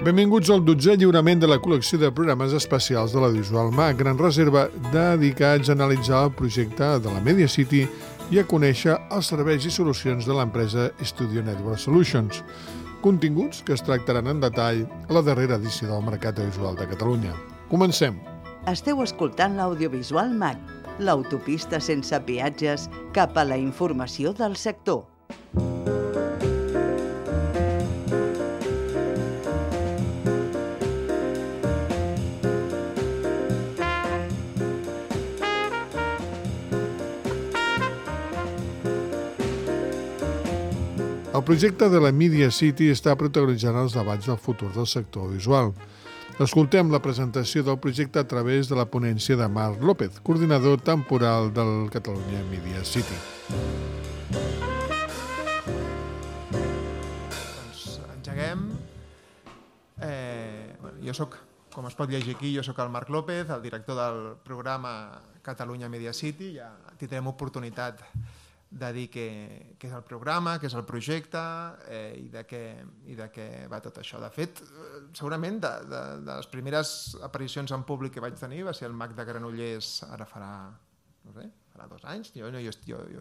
Benvinguts al 12è lliurament de la col·lecció de programes especials de l'Audiovisual MAC, gran reserva dedicats a analitzar el projecte de la Media City i a conèixer els serveis i solucions de l'empresa Studio Network Solutions, continguts que es tractaran en detall a la darrera edició del Mercat Audiovisual de Catalunya. Comencem! Esteu escoltant l'Audiovisual MAC, l'autopista sense peatges cap a la informació del sector. El projecte de la Media City està protagonitzant els debats del futur del sector audiovisual. Escoltem la presentació del projecte a través de la ponència de Marc López, coordinador temporal del Catalunya Media City. Doncs engeguem. Jo soc, com es pot llegir aquí, jo soc el Marc López, el director del programa Catalunya Media City. Ja tindrem oportunitat de dir què és el programa, què és el projecte i de què va tot això. De fet, segurament de les primeres aparicions en públic que vaig tenir va ser el MAC de Granollers, ara farà 2 anys. Jo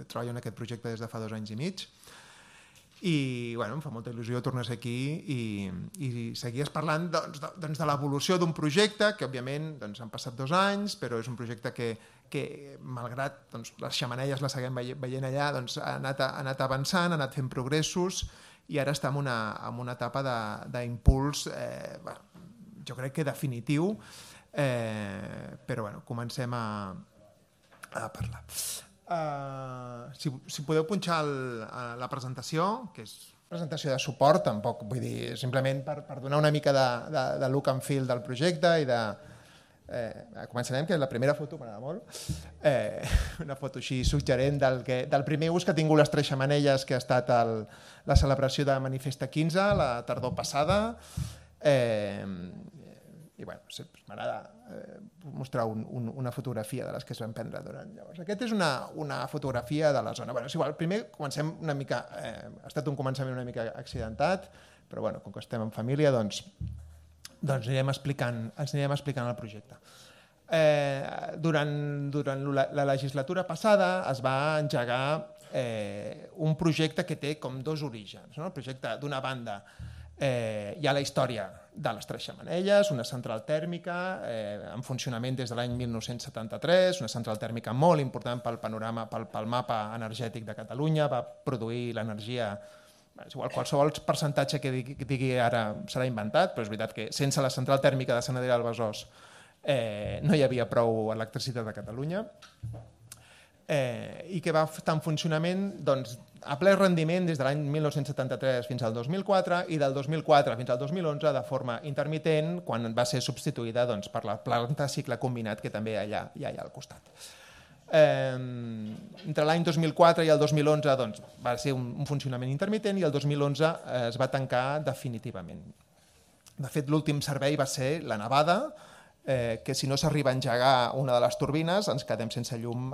treballo en aquest projecte des de fa 2 anys i mig. I em fa molta il·lusió tornar a ser aquí i seguies parlant de l'evolució d'un projecte que òbviament han passat 2 anys, però és un projecte que malgrat les xemeneies les seguim veient allà, ha anat avançant, ha anat fent progressos i ara està en una etapa d'impuls, jo crec que definitiu, però comencem a parlar. Si podeu punxar la presentació, que és una presentació de suport, tampoc vull dir, simplement per donar una mica de look and feel del projecte i de... Començarem, que la primera foto m'agrada molt, una foto així suggerent del primer ús que ha tingut les 3 xemeneies, que ha estat la celebració de Manifesta 15, la tardor passada, i m'agrada mostrar una fotografia de les que es van prendre durant llavors. Aquesta és una fotografia de la zona. És igual, primer comencem una mica, ha estat un començament una mica accidentat, però com que estem en família, doncs anirem explicant el projecte. Durant la legislatura passada es va engegar un projecte que té com 2 orígens. El projecte, d'una banda, hi ha la història de les 3 xemeneies, una central tèrmica en funcionament des de l'any 1973, una central tèrmica molt important pel panorama, pel mapa energètic de Catalunya, va produir l'energia. És igual, qualsevol percentatge que digui ara serà inventat, però és veritat que sense la central tèrmica de Sant Adrià del Besòs no hi havia prou electricitat a Catalunya, i que va estar en funcionament a ple rendiment des de l'any 1973 fins al 2004 i del 2004 fins al 2011 de forma intermitent, quan va ser substituïda per la planta de cicle combinat que també hi ha allà al costat. Entre l'any 2004 i el 2011 va ser un funcionament intermitent i el 2011 es va tancar definitivament. De fet, l'últim servei va ser la nevada, que si no s'arriba a engegar una de les turbines ens quedem sense llum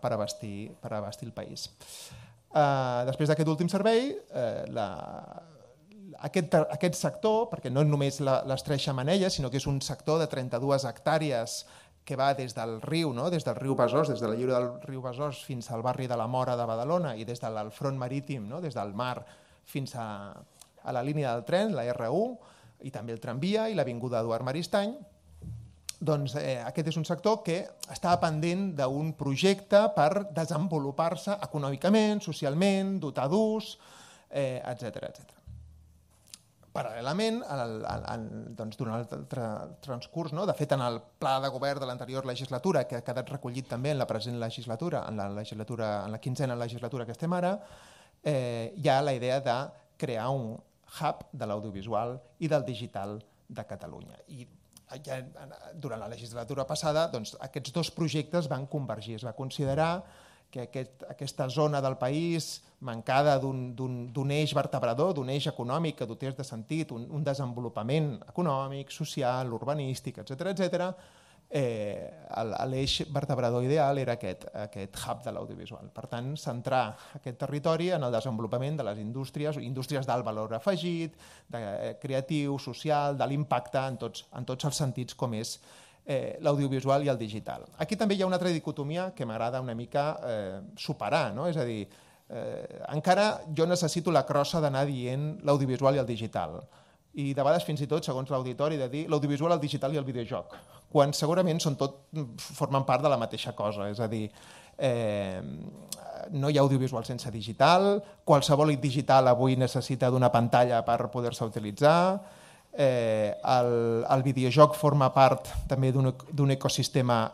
per abastir el país. Després d'aquest últim servei, aquest sector, perquè no és només les 3 xemeneies, sinó que és un sector de 32 hectàrees que va des del riu, des del riu Besòs, des de la lliura del riu Besòs fins al barri de la Móra de Badalona i des del front marítim, des del mar fins a la línia del tren, la R1, i també el tramvia i l'avinguda Eduard Maristany. Aquest és un sector que estava pendent d'un projecte per desenvolupar-se econòmicament, socialment, dotar d'ús, etc. Paral·lelament, durant el transcurs, de fet, en el pla de govern de l'anterior legislatura, que ha quedat recollit també en la present legislatura, en la 15a legislatura que estem ara, hi ha la idea de crear un hub de l'audiovisual i del digital de Catalunya. I durant la legislatura passada, aquests 2 projectes van convergir. Es va considerar que aquesta zona del país, mancada d'un eix vertebrador, d'un eix econòmic que dotés de sentit, un desenvolupament econòmic, social, urbanístic, etc., l'eix vertebrador ideal era aquest hub de l'audiovisual. Per tant, centrar aquest territori en el desenvolupament de les indústries d'alt valor afegit, de creatiu, social, de l'impacte en tots els sentits com és l'audiovisual i el digital. Aquí també hi ha una altra dicotomia que m'agrada una mica superar, no? És a dir, encara jo necessito la crossa d'anar dient l'audiovisual i el digital. I de vegades fins i tot, segons l'auditori, de dir l'audiovisual, el digital i el videojoc, quan segurament formen part de la mateixa cosa. És a dir, no hi ha audiovisual sense digital, qualsevol digital avui necessita d'una pantalla per poder-se utilitzar, el videojoc forma part també d'un ecosistema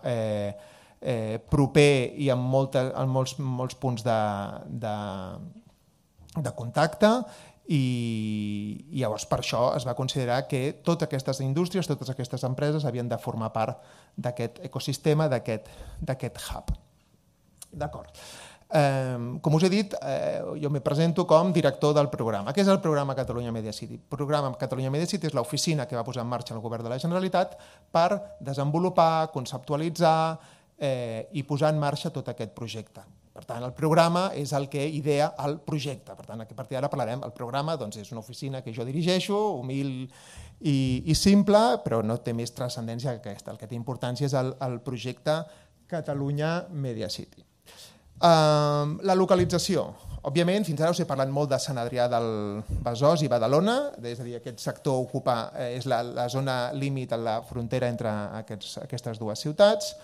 proper i amb molts punts de contacte, i llavors per això es va considerar que totes aquestes indústries, totes aquestes empreses havien de formar part d'aquest ecosistema, d'aquest hub. D'acord. Com us he dit, jo me presento com director del programa. Què és el programa Catalunya Media City? El programa Catalunya Media City és l'oficina que va posar en marxa el govern de la Generalitat per desenvolupar, conceptualitzar i posar en marxa tot aquest projecte. Per tant, el programa és el que idea el projecte. Per tant, a partir d'ara parlarem. El programa és una oficina que jo dirigeixo, humil i simple, però no té més transcendència que aquesta. El que té importància és el projecte Catalunya Media City. La localització. Òbviament, fins ara us he parlat molt de Sant Adrià del Besòs i Badalona, és a dir, aquest sector és la zona límit a la frontera entre aquestes dues ciutats,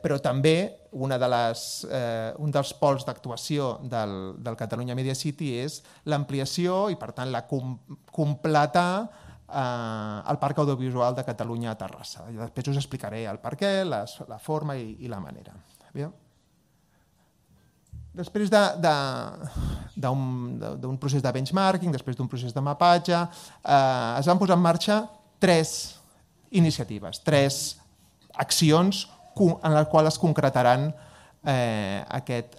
però també un dels pols d'actuació del Catalunya Media City és l'ampliació i, per tant, completar el Parc Audiovisual de Catalunya a Terrassa. Després us explicaré el per què, la forma i la manera. Després d'un procés de benchmarking, després d'un procés de mapatge, es van posar en marxa 3 iniciatives, 3 accions en les quals es concretaran aquest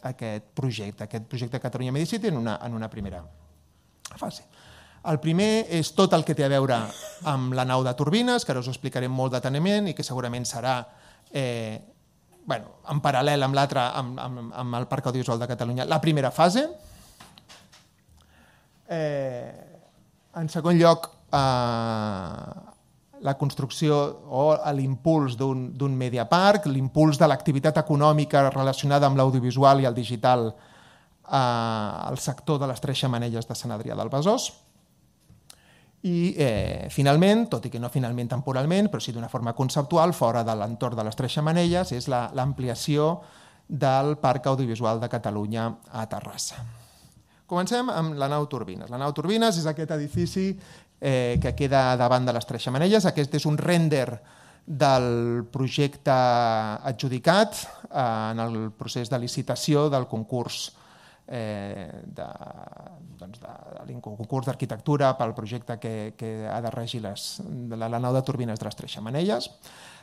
projecte Catalunya Media City en una primera fase. El primer és tot el que té a veure amb la nau de turbines, que ara us ho explicaré molt deteniment i que segurament serà en paral·lel amb l'altre, amb el Parc Audiovisual de Catalunya, la primera fase. En segon lloc, la construcció o l'impuls d'un mediaparc, l'impuls de l'activitat econòmica relacionada amb l'audiovisual i el digital al sector de les 3 xemeneies de Sant Adrià del Besòs. I finalment, tot i que no finalment temporalment, però sí d'una forma conceptual, fora de l'entorn de les 3 xemeneies, és l'ampliació del Parc Audiovisual de Catalunya a Terrassa. Comencem amb la nau Turbines. La nau Turbines és aquest edifici que queda davant de les 3 xemeneies. Aquest és un rènder del projecte adjudicat en el procés de licitació del concurs d'arquitectura pel projecte que ha de regir la nau de turbines de les 3 xemeneies.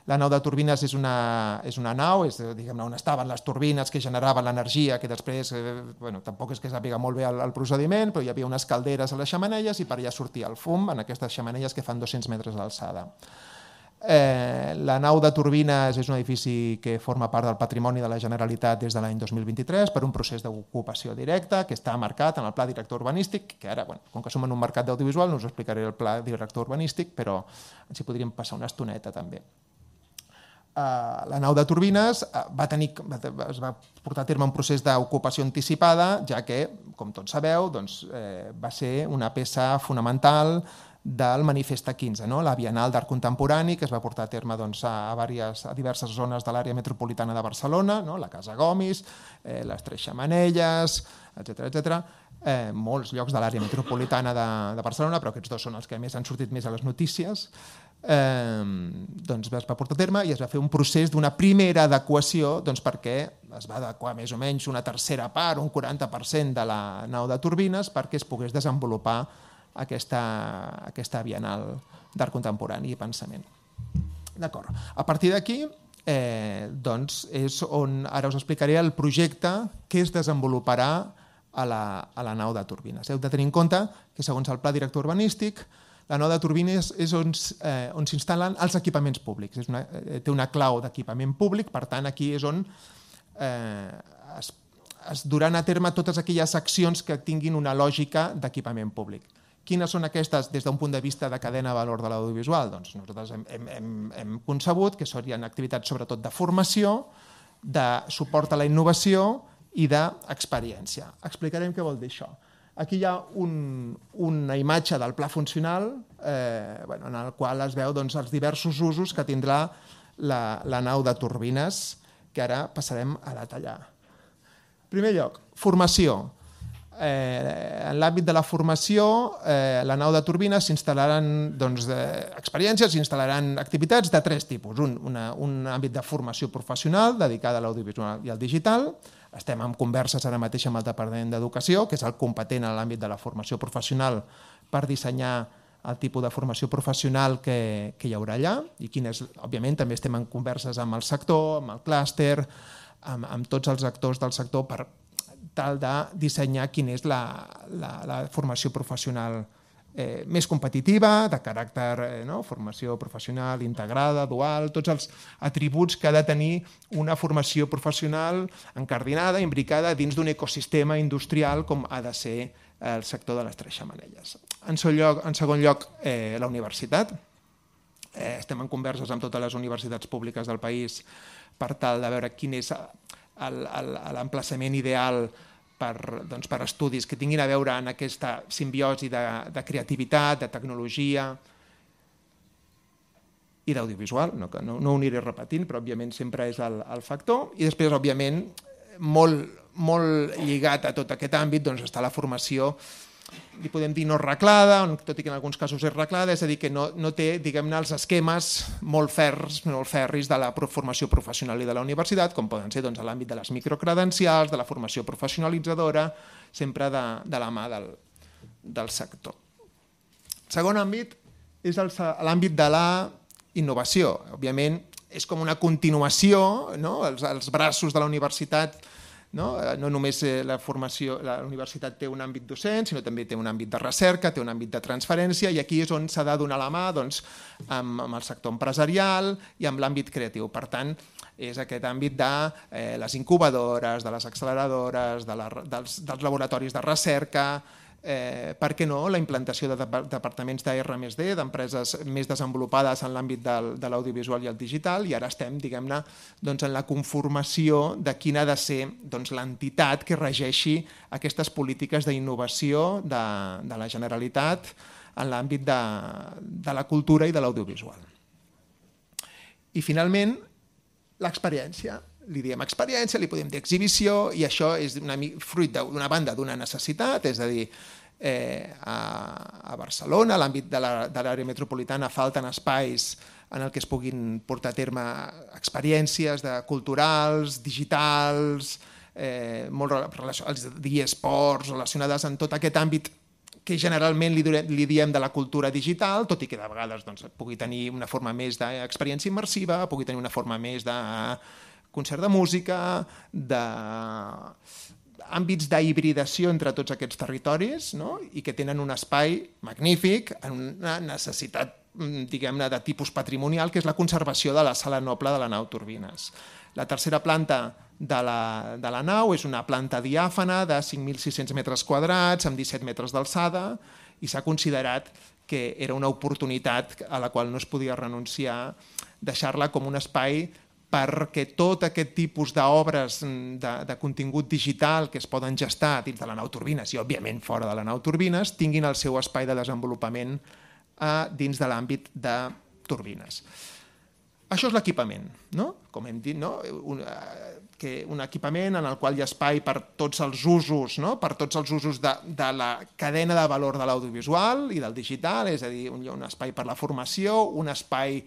La nau de turbines és una nau, és on estaven les turbines que generaven l'energia, que després, tampoc és que sàpiga molt bé el procediment, però hi havia unes calderes a les xemeneies i per allà sortia el fum en aquestes xemeneies que fan 200 metres d'alçada. La nau de turbines és un edifici que forma part del patrimoni de la Generalitat des de l'any 2023 per un procés d'ocupació directa que està marcat en el Pla Director Urbanístic, que ara, com que som en un mercat d'audiovisual, no us explicaré el Pla Director Urbanístic, però ens hi podríem passar una estoneta també. La nau de turbines es va portar a terme un procés d'ocupació anticipada, ja que, com tots sabeu, va ser una peça fonamental del Manifest 15, la Bienal d'Art Contemporani, que es va portar a terme a diverses zones de l'àrea metropolitana de Barcelona, la Casa Gomis, les 3 xemeneies, etc. Molts llocs de l'àrea metropolitana de Barcelona, però aquests 2 són els que més han sortit més a les notícies. Es va portar a terme i es va fer un procés d'una primera adequació perquè es va adequar més o menys una tercera part, un 40% de la nau de turbines perquè es pogués desenvolupar aquesta Bienal d'Art Contemporani i Pensament. D'acord. A partir d'aquí és on ara us explicaré el projecte que es desenvoluparà a la nau de turbines. Heu de tenir en compte que segons el Pla Director Urbanístic La nau de turbines és on s'instal·len els equipaments públics. Té una clau d'equipament públic, per tant, aquí és on es duran a terme totes aquelles accions que tinguin una lògica d'equipament públic. Quines són aquestes des d'un punt de vista de cadena de valor de l'audiovisual? Doncs nosaltres hem concebut que serien activitats sobretot de formació, de suport a la innovació i d'experiència. Explicarem què vol dir això. Aquí hi ha una imatge del pla funcional en el qual es veu els diversos usos que tindrà la nau de turbines, que ara passarem a detallar. En primer lloc, formació. En l'àmbit de la formació, la nau de turbines s'instal·laran experiències, s'instal·laran activitats de tres tipus. Un àmbit de formació professional dedicada a l'audiovisual i al digital. Estem en converses ara mateix amb el Departament d'Educació, que és el competent en l'àmbit de la formació professional per dissenyar el tipus de formació professional que hi haurà allà i òbviament també estem en converses amb el sector, amb el clúster, amb tots els actors del sector per tal de dissenyar quina és la formació professional més competitiva, de caràcter formació professional integrada, dual, tots els atributs que ha de tenir una formació professional encardinada, imbricada dins d'un ecosistema industrial com ha de ser el sector de les tres xemeneies. En segon lloc, la universitat. Estem en converses amb totes les universitats públiques del país per tal de veure quin és l'emplaçament ideal per estudis que tinguin a veure en aquesta simbiosi de creativitat, de tecnologia i d'audiovisual. No ho aniré repetint, però òbviament sempre és el factor. I després, òbviament, molt lligat a tot aquest àmbit està la formació, li podem dir no reglada, tot i que en alguns casos és reglada, és a dir, que no té, diguem-ne, els esquemes molt ferris de la formació professional i de la universitat, com poden ser a l'àmbit de les microcredencials, de la formació professionalitzadora, sempre de la mà del sector. El segon àmbit és l'àmbit de la innovació. Òbviament, és com una continuació, els braços de la universitat. No només la universitat té un àmbit docent, sinó també té un àmbit de recerca, té un àmbit de transferència, i aquí és on s'ha de donar la mà amb el sector empresarial i amb l'àmbit creatiu. Per tant, és aquest àmbit de les incubadores, de les acceleradores, dels laboratoris de recerca, per què no, la implantació de departaments d'R+D, d'empreses més desenvolupades en l'àmbit de l'audiovisual i el digital, i ara estem, diguem-ne, en la conformació de quina ha de ser l'entitat que regeixi aquestes polítiques d'innovació de la Generalitat en l'àmbit de la cultura i de l'audiovisual. I finalment, l'experiència. Li diem experiència, li podem dir exhibició, i això és fruit d'una banda d'una necessitat, és a dir, a Barcelona, a l'àmbit de l'àrea metropolitana, falten espais en el que es puguin portar a terme experiències culturals, digitals, els eSports, relacionades amb tot aquest àmbit que generalment li diem de la cultura digital, tot i que de vegades pugui tenir una forma més d'experiència immersiva, pugui tenir una forma més de concert de música, d'àmbits d'hibridació entre tots aquests territoris, i que tenen un espai magnífic, en una necessitat, diguem-ne, de tipus patrimonial, que és la conservació de la sala noble de la nau Turbines. La tercera planta de la nau és una planta diàfana de 5.600 metres quadrats, amb 17 metres d'alçada, i s'ha considerat que era una oportunitat a la qual no es podia renunciar, deixar-la com un espai perquè tot aquest tipus d'obres de contingut digital que es poden gestar dins de la nau Turbines i, òbviament, fora de la nau Turbines, tinguin el seu espai de desenvolupament dins de l'àmbit de turbines. Això és l'equipament, com hem dit, un equipament en el qual hi ha espai per tots els usos, per tots els usos de la cadena de valor de l'audiovisual i del digital, és a dir, un espai per la formació, un espai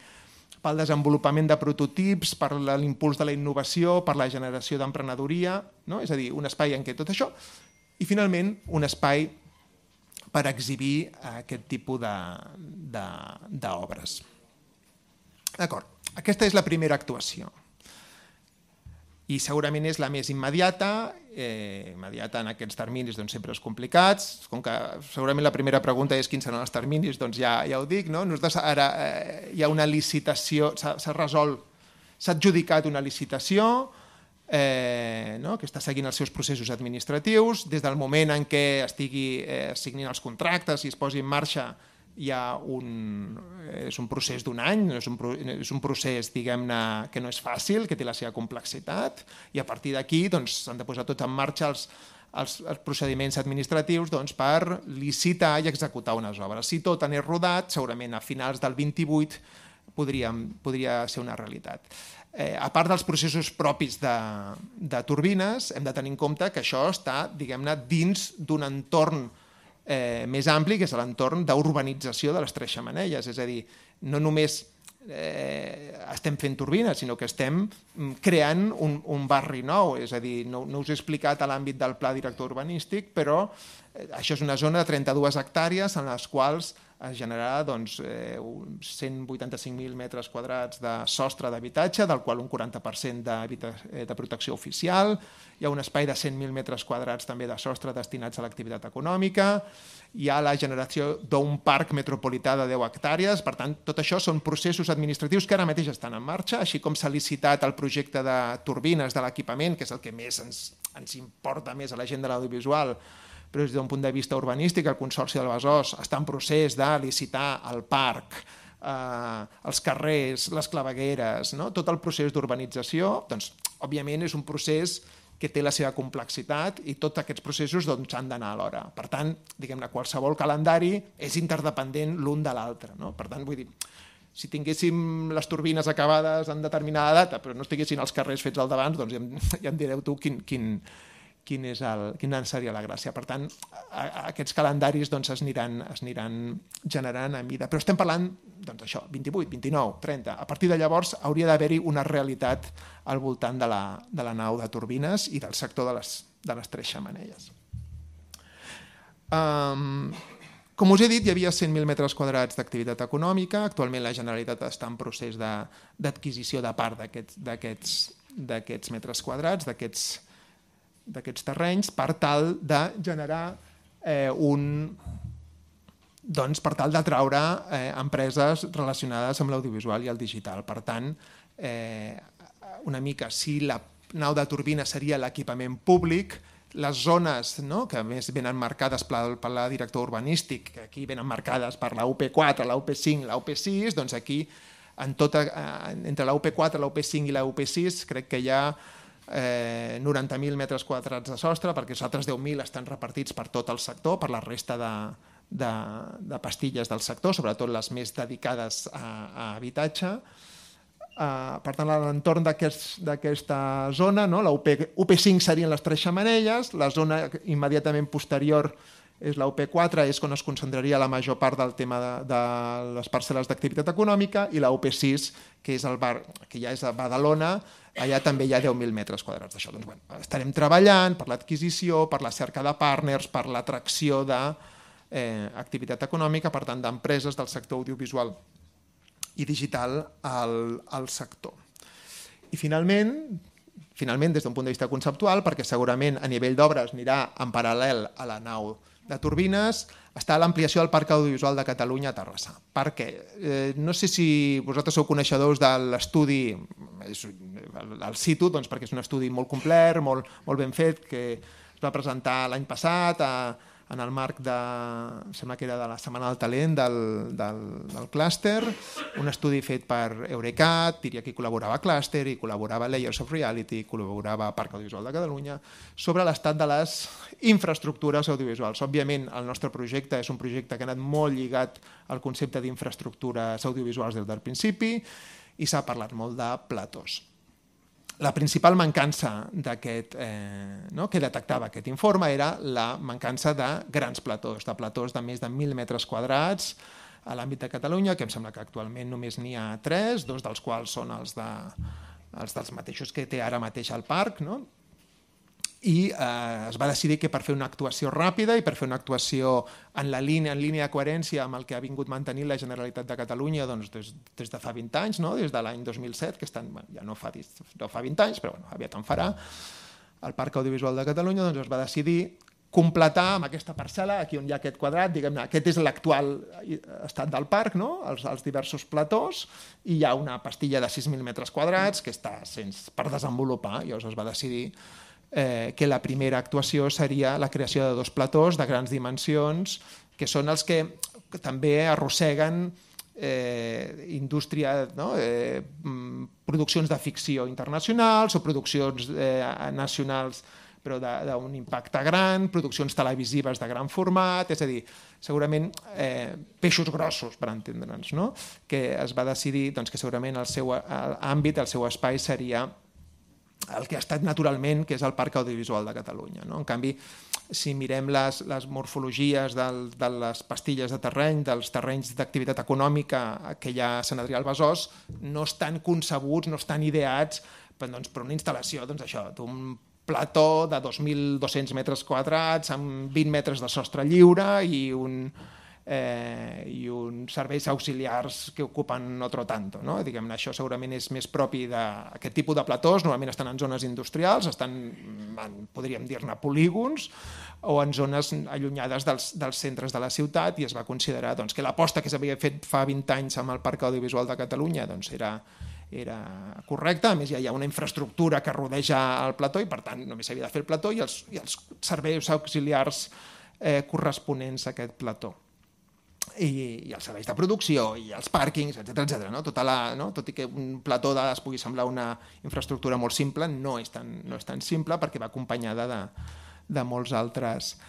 pel desenvolupament de prototips, per l'impuls de la innovació, per la generació d'emprenedoria, és a dir, un espai en què tot això, i finalment un espai per exhibir aquest tipus d'obres. D'acord, aquesta és la primera actuació. i segurament és la més immediata en aquests terminis doncs sempre és complicats, com que segurament la primera pregunta és quins seran els terminis, doncs ja ho dic, no? Nosaltres ara hi ha una licitació, s'ha resolt, s'ha adjudicat una licitació que està seguint els seus processos administratius, des del moment en què es signin els contractes i es posi en marxa és un procés d'un any, és un procés, diguem-ne, que no és fàcil, que té la seva complexitat, i a partir d'aquí s'han de posar tot en marxa els procediments administratius per licitar i executar unes obres. Si tot anés rodat, segurament a finals del 28 podria ser una realitat. A part dels processos propis de turbines, hem de tenir en compte que això està, diguem-ne, dins d'un entorn més ampli, que és l'entorn d'urbanització de les Tres Xemeneies. És a dir, no només estem fent turbines, sinó que estem creant un barri nou. És a dir, no us he explicat a l'àmbit del pla director urbanístic, però això és una zona de 32 hectàrees en les quals es generarà 185.000 metres quadrats de sostre d'habitatge, del qual un 40% de protecció oficial. Hi ha un espai de 100.000 metres quadrats també de sostre destinats a l'activitat econòmica. Hi ha la generació d'un parc metropolità de 10 hectàrees. Per tant, tot això són processos administratius que ara mateix estan en marxa, així com s'ha licitat el projecte de turbines de l'equipament, que és el que més ens importa més a la gent de l'audiovisual, però des d'un punt de vista urbanístic el Consorci del Besòs està en procés de licitar el parc, els carrers, les clavegueres, tot el procés d'urbanització, doncs, òbviament és un procés que té la seva complexitat i tots aquests processos han d'anar alhora. Per tant, diguem-ne, qualsevol calendari és interdependent l'un de l'altre. Per tant, vull dir, si tinguéssim les turbines acabades en determinada data, però no estiguessin els carrers fets al davant, doncs ja em direu tu quina seria la gràcia. Per tant, aquests calendaris es aniran generant a mida. Però estem parlant, doncs això, 28, 29, 30. A partir de llavors hauria d'haver-hi una realitat al voltant de la nau de turbines i del sector de les Tres Xemeneies. Com us he dit, hi havia 100.000 metres quadrats d'activitat econòmica. Actualment la Generalitat està en procés d'adquisició de part d'aquests metres quadrats, d'aquests terrenys, per tal de generar per tal d'atraure empreses relacionades amb l'audiovisual i el digital. Per tant, una mica, si la nau de turbina seria l'equipament públic, les zones que a més venen marcades pel pla director urbanístic, que aquí venen marcades per la UP4, la UP5, la UP6, doncs aquí, entre la UP4, la UP5 i la UP6, crec que hi ha 90.000 metres quadrats de sostre, perquè els altres 10.000 estan repartits per tot el sector, per la resta de pastilles del sector, sobretot les més dedicades a habitatge. Per tant, a l'entorn d'aquesta zona, la UP5 serien les Tres Xemeneies, la zona immediatament posterior és la UP4, és on es concentraria la major part del tema de les parcel·les d'activitat econòmica, i la UP6, que és el bar, que ja és a Badalona, allà també hi ha 10.000 metres quadrats d'això. Doncs, estarem treballant per l'adquisició, per la cerca de partners, per l'atracció d'activitat econòmica, per tant, d'empreses del sector audiovisual i digital al sector. I finalment, des d'un punt de vista conceptual, perquè segurament a nivell d'obres anirà en paral·lel a la nau de turbines, està l'ampliació del Parc Audiovisual de Catalunya a Terrassa. Per què? No sé si vosaltres sou coneixedors de l'estudi al situ, perquè és un estudi molt complet, molt ben fet, que es va presentar l'any passat en el marc sembla que era de la Setmana del Talent del clúster, un estudi fet per Eurecat, diria que hi col·laborava Clúster, hi col·laborava Layers of Reality, hi col·laborava Parc Audiovisual de Catalunya, sobre l'estat de les infraestructures audiovisuals. Òbviament, el nostre projecte és un projecte que ha anat molt lligat al concepte d'infraestructures audiovisuals des del principi i s'ha parlat molt de platós. La principal mancança que detectava aquest informe era la mancança de grans platós, de platós de més de 1.000 metres quadrats a l'àmbit de Catalunya, que em sembla que actualment només n'hi ha 3, 2 dels quals són els dels mateixos que té ara mateix el parc. i es va decidir que per fer una actuació ràpida i per fer una actuació en línia de coherència amb el que ha vingut mantenint la Generalitat de Catalunya des de fa 20 anys, no? Des de l'any 2007, que ja no fa 20 anys, però aviat en farà, el Parc Audiovisual de Catalunya es va decidir completar amb aquesta parcel·la, aquí on hi ha aquest quadrat, diguem-ne, aquest és l'actual estat del parc, no? Els diversos platós, i hi ha una pastilla de 6.000 metres quadrats que està per desenvolupar. Llavors es va decidir que la primera actuació seria la creació de 2 platós de grans dimensions, que són els que també arrosseguen indústria, no? Produccions de ficció internacionals o produccions nacionals però d'un impacte gran, produccions televisives de gran format, és a dir, segurament peixos grossos, per entendre'ns, no? Que es va decidir que segurament el seu àmbit, el seu espai seria el que ha estat naturalment, que és el Parc Audiovisual de Catalunya. En canvi, si mirem les morfologies de les pastilles de terreny, dels terrenys d'activitat econòmica que hi ha a Sant Adrià al Besòs, no estan concebuts, no estan ideats per una instal·lació d'un plató de 2.200 metres quadrats amb 20 metres de sostre lliure i uns serveis auxiliars que ocupen otro tanto. Diguem-ne, això segurament és més propi d'aquest tipus de platós, normalment estan en zones industrials, estan, podríem dir-ne, polígons, o en zones allunyades dels centres de la ciutat, i es va considerar que l'aposta que s'havia fet fa 20 anys amb el Parc Audiovisual de Catalunya era correcta. A més, ja hi ha una infraestructura que rodeja el plató i, per tant, només s'havia de fer el plató i els serveis auxiliars corresponents a aquest plató. I els serveis de producció i els pàrquings, etc. Tot i que un plató es pugui semblar una infraestructura molt simple, no és tan simple perquè va acompanyada de molts altres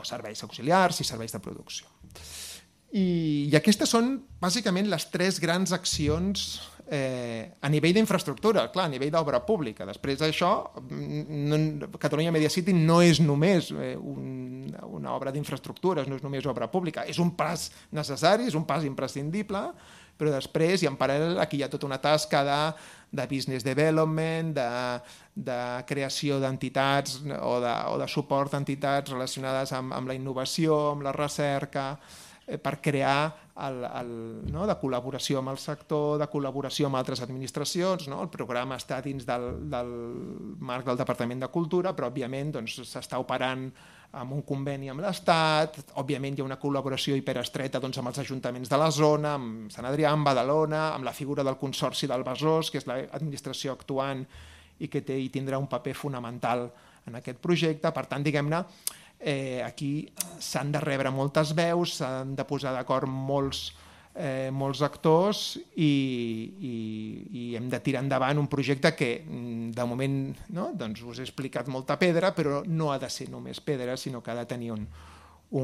serveis auxiliars i serveis de producció. I aquestes són bàsicament les 3 grans accions a nivell d'infraestructura, clar, a nivell d'obra pública. Després d'això, Catalunya Media City no és només una obra d'infraestructures, no és només obra pública, és un pas necessari, és un pas imprescindible, però després, i en paral·lel, aquí hi ha tota una tasca de business development, de creació d'entitats o de suport a entitats relacionades amb la innovació, amb la recerca, per crear de col·laboració amb el sector, de col·laboració amb altres administracions. El programa està dins del marc del Departament de Cultura, però òbviament s'està operant amb un conveni amb l'Estat, òbviament hi ha una col·laboració hiperestreta amb els ajuntaments de la zona, amb Sant Adrià, amb Badalona, amb la figura del Consorci del Besòs, que és l'administració actuant i que té i tindrà un paper fonamental en aquest projecte. Per tant, diguem-ne, aquí s'han de rebre moltes veus, s'han de posar d'acord molts actors i hem de tirar endavant un projecte que de moment us he explicat molta pedra, però no ha de ser només pedra, sinó que ha de tenir un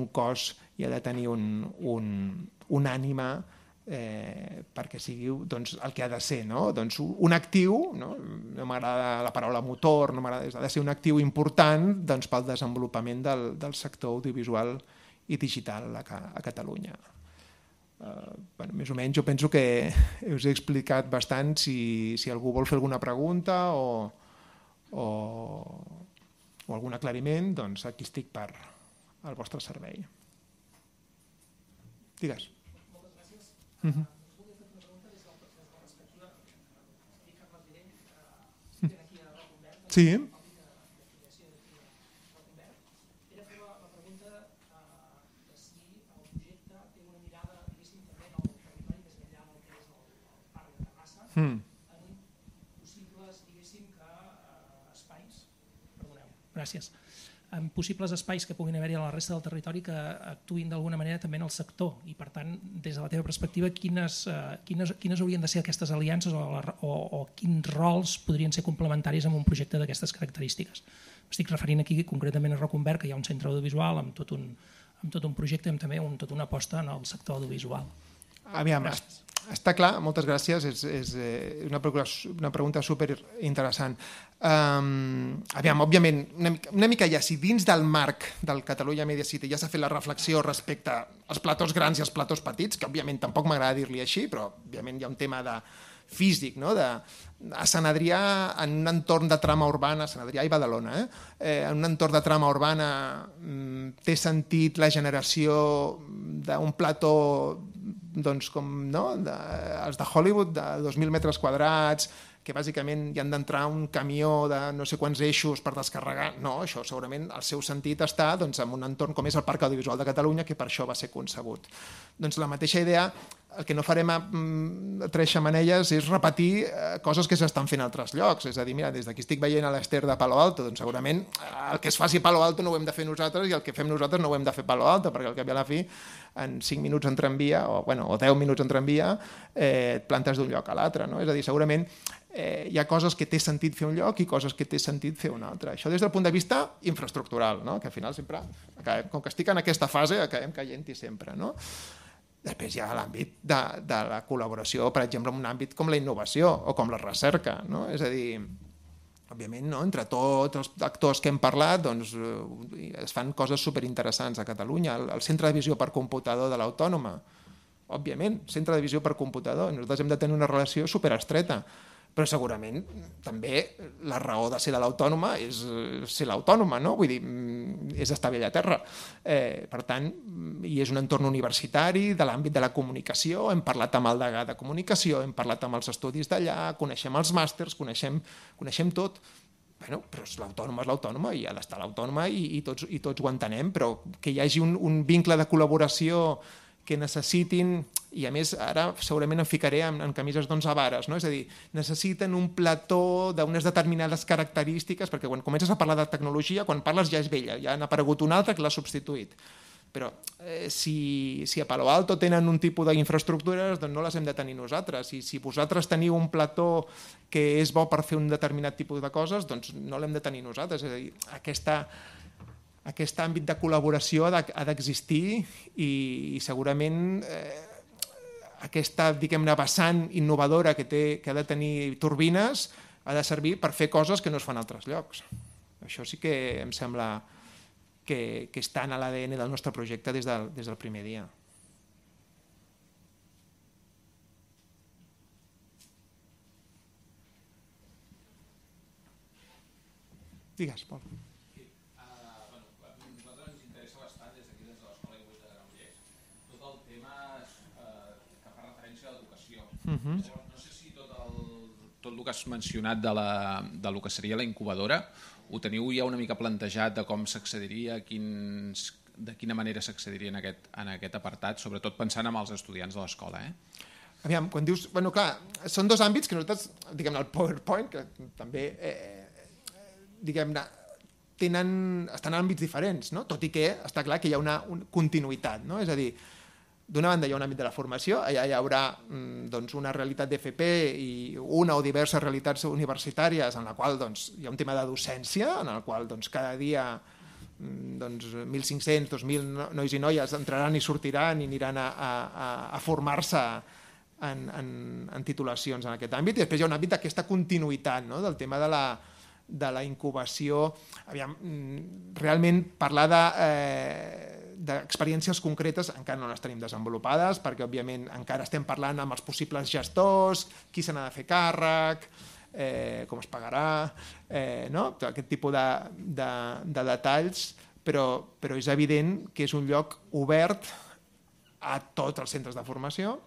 cos i ha de tenir un ànima perquè sigui el que ha de ser, un actiu, no m'agrada la paraula motor, ha de ser un actiu important pel desenvolupament del sector audiovisual i digital a Catalunya. Més o menys jo penso que us he explicat bastant. Si algú vol fer alguna pregunta o algun aclariment, doncs aquí estic per al vostre servei. Digues. Sí. Era fer la pregunta de si el projecte té una mirada, diguéssim, també en el territori més enllà del que és el parc de Terrassa, en possibles, diguéssim, espais, perdoneu, gràcies, en possibles espais que puguin haver-hi a la resta del territori que actuïn d'alguna manera també en el sector, i per tant, des de la teva perspectiva, quines haurien de ser aquestes aliances o quins rols podrien ser complementaris amb un projecte d'aquestes característiques? Estic referint aquí concretament a Reconvert, que hi ha un centre audiovisual amb tot un projecte i amb també tota una aposta en el sector audiovisual. Aviam, està clar, moltes gràcies, és una pregunta superinteressant. Aviam, òbviament, una mica ja, si dins del marc del Catalunya Media City ja s'ha fet la reflexió respecte als platós grans i als platós petits, que òbviament tampoc m'agrada dir-li així, però òbviament hi ha un tema físic, no? A Sant Adrià, en un entorn de trama urbana, Sant Adrià i Badalona, en un entorn de trama urbana té sentit la generació d'un plató doncs com els de Hollywood, de 2.000 metres quadrats, que bàsicament hi han d'entrar un camió de no sé quants eixos per descarregar. No, això segurament el seu sentit està en un entorn com és el Parc Audiovisual de Catalunya, que per això va ser concebut. Doncs la mateixa idea, el que no farem a Tres Xemeneies és repetir coses que s'estan fent a altres llocs. És a dir, mira, des d'aquí estic veient a l'Ester de Palo Alto, doncs segurament el que es faci a Palo Alto no ho hem de fer nosaltres i el que fem nosaltres no ho hem de fer a Palo Alto, perquè al cap i a la fi en 5 minuts en tramvia o 10 minuts en tramvia et plantes d'un lloc a l'altre. És a dir, segurament hi ha coses que té sentit fer un lloc i coses que té sentit fer un altre. Això des del punt de vista infraestructural, que al final sempre, com que estic en aquesta fase, acabem caient-hi sempre. Després hi ha l'àmbit de la col·laboració, per exemple, en un àmbit com la innovació o com la recerca. És a dir, òbviament, entre tots els actors que hem parlat es fan coses superinteressants a Catalunya. El centre de visió per computador de l'Autònoma, òbviament, centre de visió per computador. Nosaltres hem de tenir una relació superestreta, però segurament també la raó de ser de l'Autònoma és ser l'Autònoma, vull dir, és estar bé a terra. Per tant, i és un entorn universitari de l'àmbit de la comunicació, hem parlat amb el degà de comunicació, hem parlat amb els estudis d'allà, coneixem els màsters, coneixem tot. Però l'Autònoma és l'Autònoma i ha d'estar l'Autònoma i tots ho entenem, però que hi hagi un vincle de col·laboració que necessitin, i a més ara segurament em ficaré en camises d'11 vares, és a dir, necessiten un plató d'unes determinades característiques, perquè quan comences a parlar de tecnologia, quan parles ja és vella, ja n'ha aparegut una altra que l'ha substituït. Però si a Palo Alto tenen un tipus d'infraestructures, doncs no les hem de tenir nosaltres. I si vosaltres teniu un plató que és bo per fer un determinat tipus de coses, doncs no l'hem de tenir nosaltres. És a dir, aquest àmbit de col·laboració ha d'existir i segurament aquesta, diguem-ne, vessant innovadora que ha de tenir turbines ha de servir per fer coses que no es fan a altres llocs. Això sí que em sembla que està en l'ADN del nostre projecte des del primer dia. Digues, Pol. No sé si tot el que has mencionat del que seria la incubadora ho teniu ja una mica plantejat de com s'accediria, de quina manera s'accediria en aquest apartat, sobretot pensant en els estudiants de l'escola. Aviam, quan dius... Bueno, clar, són dos àmbits que nosaltres, diguem-ne, el PowerPoint, que també, diguem-ne, estan en àmbits diferents, tot i que està clar que hi ha una continuïtat, és a dir, d'una banda hi ha un àmbit de la formació, allà hi haurà una realitat d'FP i una o diverses realitats universitàries en la qual hi ha un tema de docència, en el qual cada dia 1.500, 2.000 nois i noies entraran i sortiran i aniran a formar-se en titulacions en aquest àmbit. I després hi ha un àmbit d'aquesta continuïtat, del tema de la incubació. Aviam, realment parlar d'experiències concretes encara no les tenim desenvolupades, perquè òbviament encara estem parlant amb els possibles gestors, qui se n'ha de fer càrrec, com es pagarà, aquest tipus de detalls, però és evident que és un lloc obert a tots els centres de formació.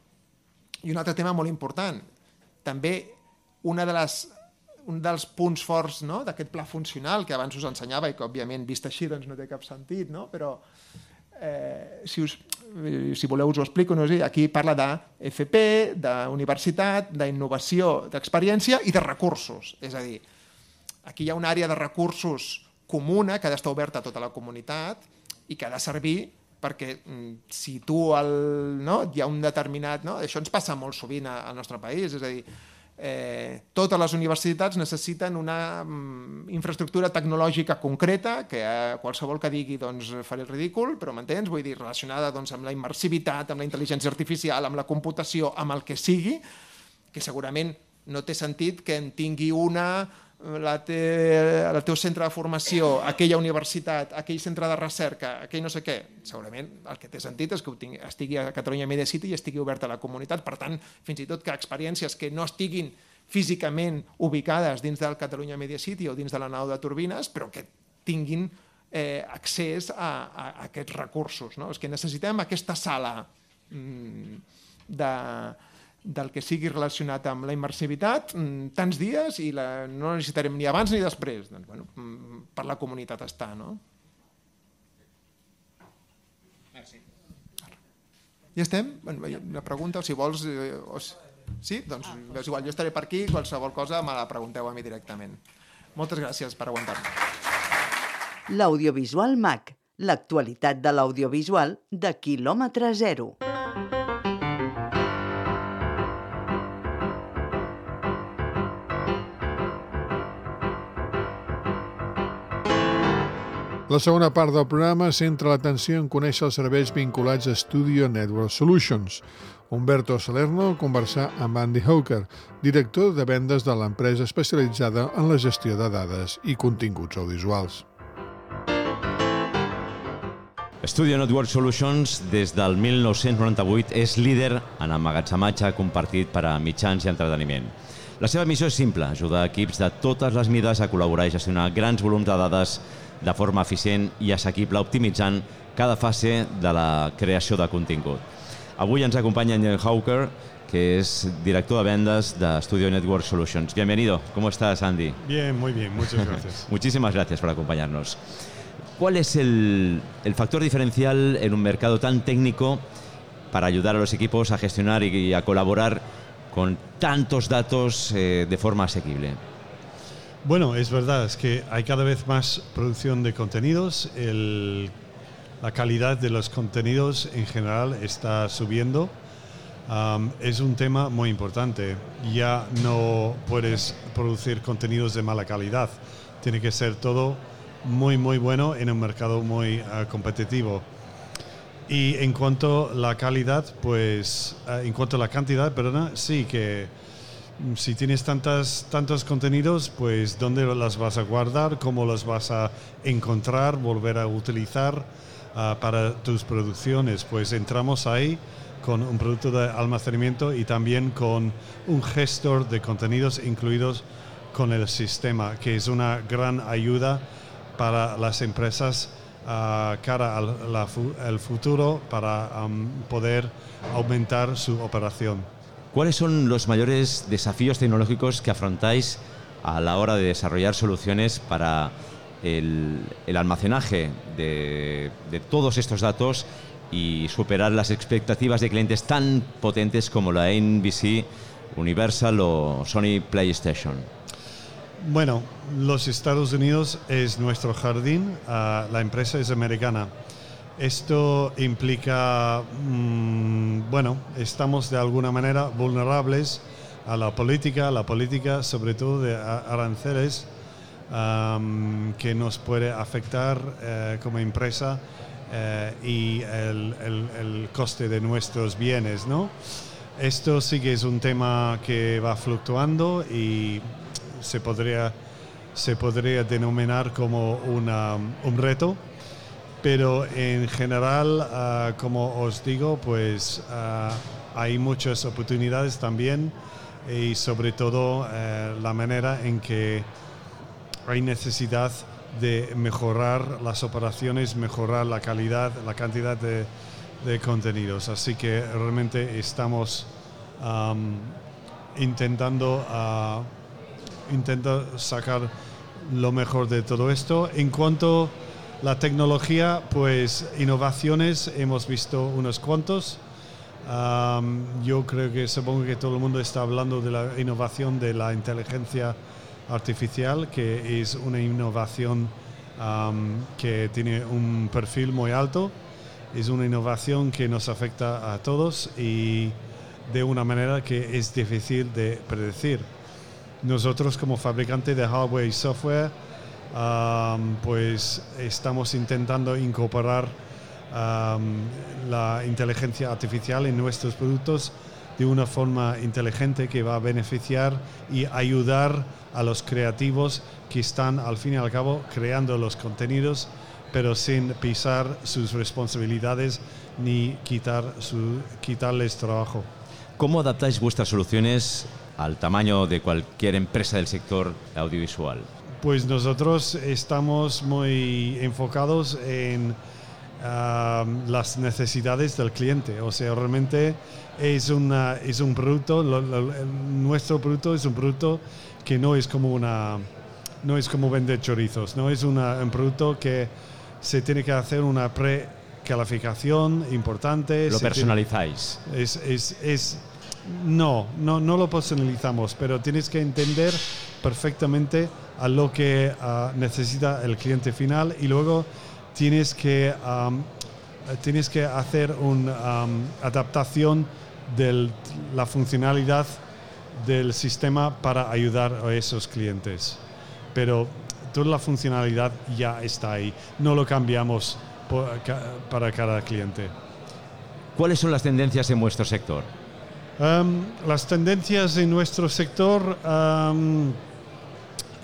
I un altre tema molt important, també un dels punts forts d'aquest pla funcional que abans us ensenyava i que òbviament vist així no té cap sentit, però si voleu us ho explico, aquí parla d'FP, d'universitat, d'innovació, d'experiència i de recursos. És a dir, aquí hi ha una àrea de recursos comuna que ha d'estar oberta a tota la comunitat i que ha de servir perquè si tu hi ha un determinat... Això ens passa molt sovint al nostre país, és a dir, totes les universitats necessiten una infraestructura tecnològica concreta que qualsevol que digui faré el ridícul, però m'entens? Vull dir, relacionada amb la immersivitat, amb la intel·ligència artificial, amb la computació, amb el que sigui, que segurament no té sentit que en tingui una el teu centre de formació, aquella universitat, aquell centre de recerca, aquell no sé què, segurament el que té sentit és que estigui a Catalunya Media City i estigui obert a la comunitat. Per tant, fins i tot que experiències que no estiguin físicament ubicades dins del Catalunya Media City o dins de la nau de turbines, però que tinguin accés a aquests recursos. És que necessitem aquesta sala del que sigui relacionat amb la immersivitat tants dies i no necessitarem ni abans ni després. Per la comunitat està, no? Merci. Ja estem? Una pregunta, o si vols... Sí? Doncs és igual, jo estaré per aquí, qualsevol cosa me la pregunteu a mi directament. Moltes gràcies per aguantar-me. L'Audiovisual MAC, l'actualitat de l'audiovisual de quilòmetre zero. La segona part del programa centra l'atenció en conèixer els serveis vinculats a Studio Network Solutions. Humberto Salerno conversà amb Andy Hawker, director de vendes de l'empresa especialitzada en la gestió de dades i continguts audiovisuals. Studio Network Solutions, des del 1998, és líder en emmagatzematge compartit per a mitjans i entreteniment. La seva missió és simple, ajudar equips de totes les mides a col·laborar i gestionar grans volums de dades de forma eficient i assequible, optimitzant cada fase de la creació de contingut. Avui ens acompanya Andy Hawker, que es director de ventas de Studio Network Solutions. Bienvenido. ¿Cómo estás, Andy? Bien, muy bien. Muchas gracias. Muchísimas gracias por acompañarnos. ¿Cuál es el factor diferencial en un mercado tan técnico para ayudar a los equipos a gestionar y a colaborar con tantos datos de forma asequible? Bueno, es verdad, es que hay cada vez más producción de contenidos. La calidad de los contenidos en general está subiendo. Es un tema muy importante. Ya no puedes producir contenidos de mala calidad. Tiene que ser todo muy, muy bueno en un mercado muy competitivo. Y en cuanto a la calidad, pues, en cuanto a la cantidad, perdona, sí que si tienes tantos contenidos, pues ¿dónde las vas a guardar? ¿Cómo los vas a encontrar, volver a utilizar para tus producciones? Pues entramos ahí con un producto de almacenamiento y también con un gestor de contenidos incluidos con el sistema, que es una gran ayuda para las empresas cara al futuro para poder aumentar su operación. ¿Cuáles son los mayores desafíos tecnológicos que afrontáis a la hora de desarrollar soluciones para el almacenaje de todos estos datos y superar las expectativas de clientes tan potentes como la NBC, Universal o Sony PlayStation? Bueno, los Estados Unidos es nuestro jardín, la empresa es americana. Esto implica, bueno, estamos de alguna manera vulnerables a la política sobre todo de aranceles, que nos puede afectar como empresa y el coste de nuestros bienes, ¿no? Esto sí que es un tema que va fluctuando y se podría denominar como un reto. Pero en general, como os digo, pues hay muchas oportunidades también y sobre todo la manera en que hay necesidad de mejorar las operaciones, mejorar la calidad, la cantidad de contenidos. Así que realmente estamos intentando sacar lo mejor de todo esto. En cuanto la tecnología, pues innovaciones hemos visto unos cuantos. Yo creo que supongo que todo el mundo está hablando de la innovación de la inteligencia artificial, que es una innovación que tiene un perfil muy alto. Es una innovación que nos afecta a todos y de una manera que es difícil de predecir. Nosotros como fabricante de hardware y software, pues estamos intentando incorporar la inteligencia artificial en nuestros productos de una forma inteligente que va a beneficiar y ayudar a los creativos que están al fin y al cabo creando los contenidos, pero sin pisar sus responsabilidades ni quitarles trabajo. ¿Cómo adaptáis vuestras soluciones al tamaño de cualquier empresa del sector audiovisual? Pues nosotros estamos muy enfocados en las necesidades del cliente. O sea, realmente es un producto, nuestro producto es un producto que no es como vender chorizos, no es un producto que se tiene que hacer una precalificación importante. ¿Lo personalizáis? No lo personalizamos, pero tienes que entender perfectamente a lo que necesita el cliente final y luego tienes que hacer una adaptación de la funcionalidad del sistema para ayudar a esos clientes. Pero toda la funcionalidad ya está ahí, no lo cambiamos para cada cliente. ¿Cuáles son las tendencias en vuestro sector? Las tendencias en nuestro sector,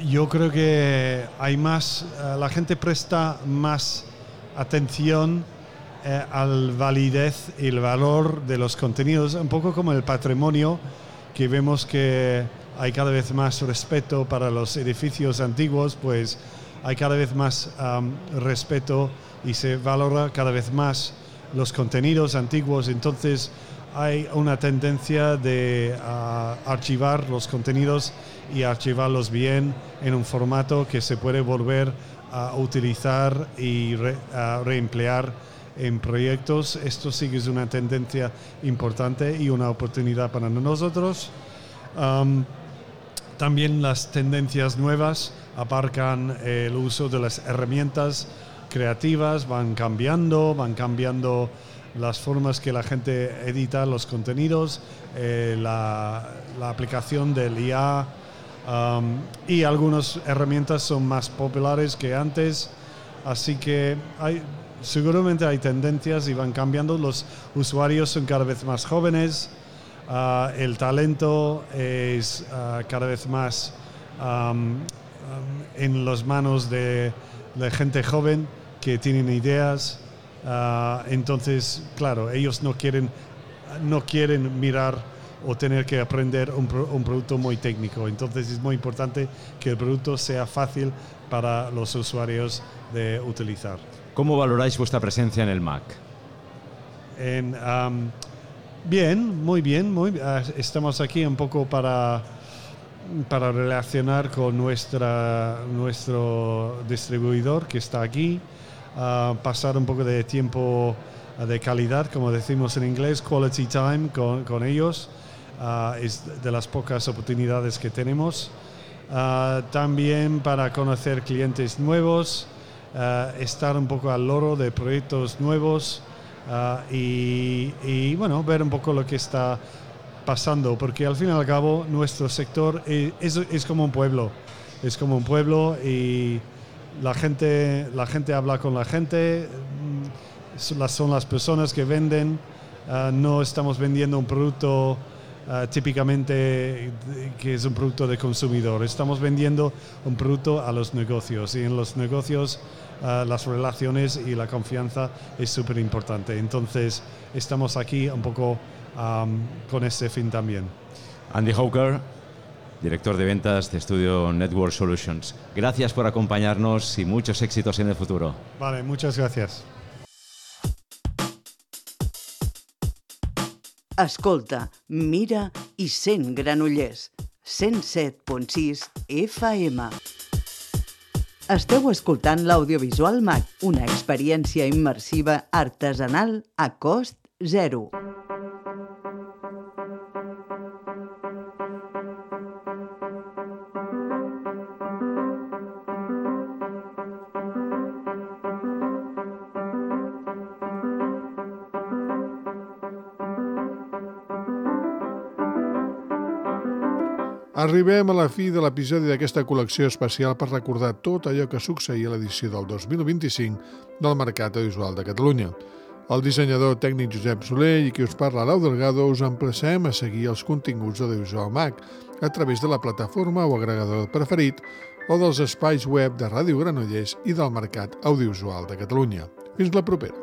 yo creo que hay más, la gente presta más atención al validez y el valor de los contenidos, un poco como el patrimonio, que vemos que hay cada vez más respeto para los edificios antiguos, pues hay cada vez más respeto y se valora cada vez más los contenidos antiguos. Entonces hay una tendencia de archivar los contenidos y archivarlos bien en un formato que se puede volver a utilizar y reemplear en proyectos. Esto sí que es una tendencia importante y una oportunidad para nosotros. También las tendencias nuevas abarcan el uso de las herramientas creativas, van cambiando las formas que la gente edita los contenidos, la aplicación del IA, y algunas herramientas son más populares que antes, así que seguramente hay tendencias y van cambiando. Los usuarios son cada vez más jóvenes, el talento es cada vez más en las manos de la gente joven que tienen ideas. Entonces, claro, ellos no quieren mirar o tener que aprender un producto muy técnico. Entonces es muy importante que el producto sea fácil para los usuarios de utilizar. ¿Cómo valoráis vuestra presencia en el MAC? Bien, muy bien. Estamos aquí un poco para relacionar con nuestro distribuidor que está aquí, pasar un poco de tiempo de calidad, como decimos en inglés, quality time con ellos. Es de las pocas oportunidades que tenemos. También para conocer clientes nuevos, estar un poco al loro de proyectos nuevos y bueno, ver un poco lo que está pasando, porque al fin y al cabo nuestro sector es como un pueblo. Es como un pueblo y la gente habla con la gente, son las personas que venden. No estamos vendiendo un producto típicamente que es un producto de consumidor. Estamos vendiendo un producto a los negocios y en los negocios las relaciones y la confianza es súper importante. Entonces estamos aquí un poco con ese fin también. Andy Hawker, director de ventas de Estudio Network Solutions. Gracias por acompañarnos y muchos éxitos en el futuro. Vale, muchas gracias. Escolta, mira i sent Granollers. 107.6 FM. Esteu escoltant l'Audiovisual MAC, una experiència immersiva artesanal a cost zero. Arribem a la fi de l'episodi d'aquesta col·lecció especial per recordar tot allò que succeïa a l'edició del 2025 del Mercat Audiovisual de Catalunya. El dissenyador tècnic Josep Soler i qui us parla Lau Delgado us emplacem a seguir els continguts d'Audiovisual MAC a través de la plataforma o agregador preferit o dels espais web de Ràdio Granollers i del Mercat Audiovisual de Catalunya. Fins la propera.